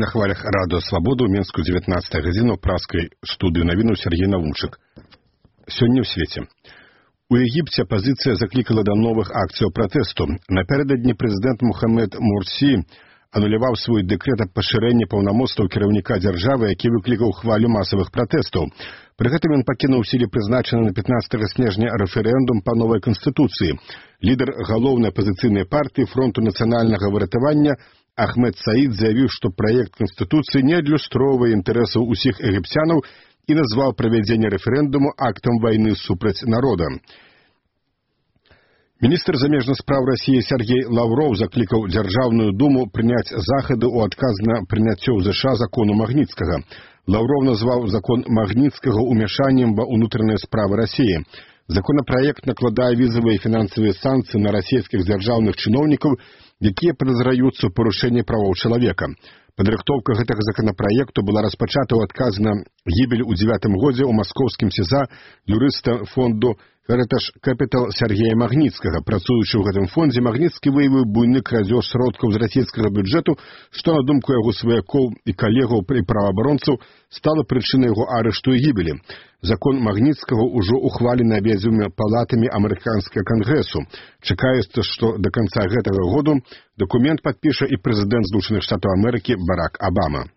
На хвалях радыё «Свабода» ў Менску 19 гадзіна ў праскай студыі навінаў Сергей Навунчык. Сёння ў свеце. У Егіпце апазіцыя заклікала да новых акцыяў пратэсту. Напярэдадні прэзідэнт Мухаммед Мурсі ануляваў свой дэкрэт аб пашырэнні паўнамоцтваў кіраўніка дзяржавы, які выклікаў хвалю масавых пратэстаў. Пры гэтым ён пакінуў у сіле прызначаны на 15 снежня рэферэндум па новай канстытуцыі. Лідар галоўнай апазіцыйнай партыі фронту нацыянальнага выратавання Ахмед Саід заявіў, што праект канстытуцыі не адлюстроўвае інтарэсаў усіх егіпцянаў і назваў правядзенне рэферэндуму актам вайны супраць народа. Міністр замежных спраў Расіі Сергей Лаўроў заклікаў Дзяржаўную думу прыняць захады ў адказ на прыняццё ў ЗША закону Магніцкага. Лаўроў назваў закон Магніцкага ўмяшаннем ва ўнутраныя справы Расіі. Законапраект накладае візавыя і фінансавыя санкцыі на расійскіх дзяржаўных чыноўнікаў, якія падазраюцца ў парушэнні правоў чалавека. Падрыхтоўка гэтага законапраекту была распачата ў адказ на гібель у 9 годзе ў маскоўскім СІЗА юрыста фонду Heritage Capital Сергея Магніцкага. Працуючы ў гэтым фондзе, Магніцкі выявіў буйны крадзеж сродкаў з расійскага бюджэту, што, на думку яго сваякоў і калегаў і праваабаронцаў, стала прычынай яго арышту і гібелі. Закон Магніцкага ўжо ухвалены абедзвюма палатамі амерыканскага кангрэсу. Чакаецца, што да канца гэтага году дакумент падпіша і прэзідэнт Злучаных Штатаў Амерыкі Барак Абама.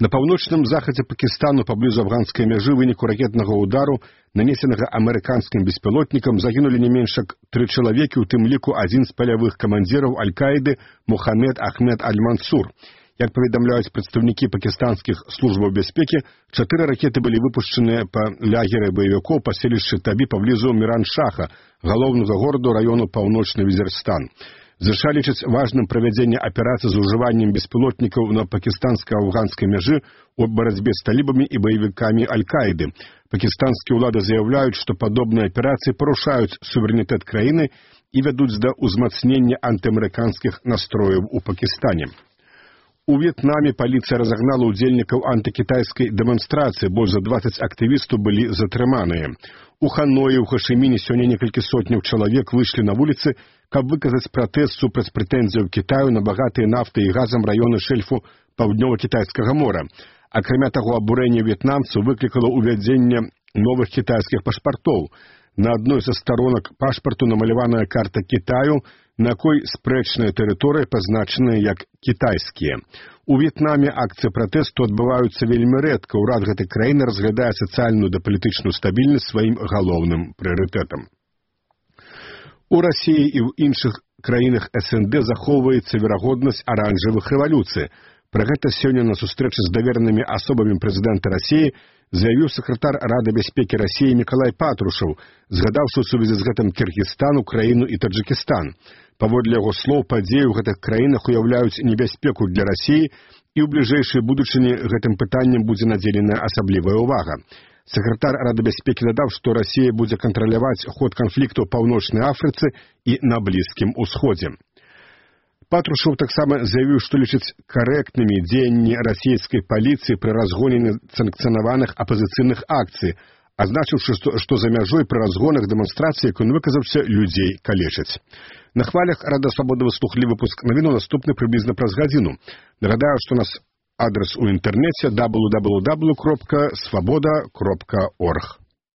На паўночным захадзе Пакістану паблізу афганскай мяжы выніку ракетнага ўдару, нанесенага амерыканскім беспілотнікам, загінулі не менш як 3 чалавекі, у тым ліку адзін з палявых камандзіраў Аль-Каіды Мухаммед Ахмед Аль-Мансур. Як паведамляюць прадстаўнікі пакістанскіх службаў бяспекі, 4 ракеты былі выпушчаныя па лагеры баевікоў паселішчы Табі паблізу Міран-Шаха, галоўнага гораду раёну Паўночны Візірстан. ЗША лічаць важным правядзенне аперацыі з ужываннем беспілотнікаў на пакістанска-афганскай мяжы ў барацьбе з талібамі і баевікамі Аль-Каіды. Пакістанскія ўлады заяўляюць, што падобныя аперацыі парушаюць суверэнітэт краіны і вядуць да ўзмацнення антыамерыканскіх настрояў у Пакістане. У В'етнаме паліцыя разагнала ўдзельнікаў антыкітайскай дэманстрацыі, больш за 20 актывістаў былі затрыманыя. У Ханоі, у Хашыміне сёння некалькі сотняў чалавек выйшлі на вуліцы, каб выказаць пратэст супраць прэтэнзіяў Кітаю на багатыя нафтай і газам раёны шэльфу Паўднёва-Кітайскага мора. Акрамя таго, абурэнне в'етнамцаў выклікала ўвядзенне новых кітайскіх пашпартоў. На адной са сторонак пашпарту намаляваная карта Кітаю, на якой спрэчныя тэрыторыі пазначаныя як кітайскія. У В'етнаме акцыі пратэсту адбываюцца вельмі рэдка. Урад гэтай краіны разглядае сацыяльную да палітычную стабільнасць сваім галоўным прыярытэтам. У Расіі і ў іншых краінах СНД захоўваецца верагоднасць аранжавых рэвалюцый. Пра гэта сёння на сустрэчы з даверанымі асобамі прэзідэнта Расіі заявіў сакратар Рады бяспекі Расіі Мікалай Патрушаў, згадаўшы ў сувязі з гэтым Кіргізстан, Украіну і Таджыкістан. Паводле яго слоў, падзеі ў гэтых краінах уяўляюць небяспеку для Расіі, і ў бліжэйшай будучыні гэтым пытаннем будзе надзеленая асаблівая ўвага. Сакратар Рады бяспекі дадаў, што Расія будзе кантраляваць ход канфлікту ў Паўночнай Афрыцы і на Блізкім Усходзе. Патрушаў таксама заявіў, што лічыць карэктнымі дзеянні расійскай паліцыі пры разгоне санкцыянаваных апазіцыйных акцый, азначыўшы, што за мяжой пры разгонах дэманстрацыі, як ён выказаўся, людзей калечаць. На хвалях Рада Свабода выслухалі выпуск навіну, наступны прыблізна праз гадзіну. Нагадаю, што у нас адрес у інтэрнэце www.svoboda.org.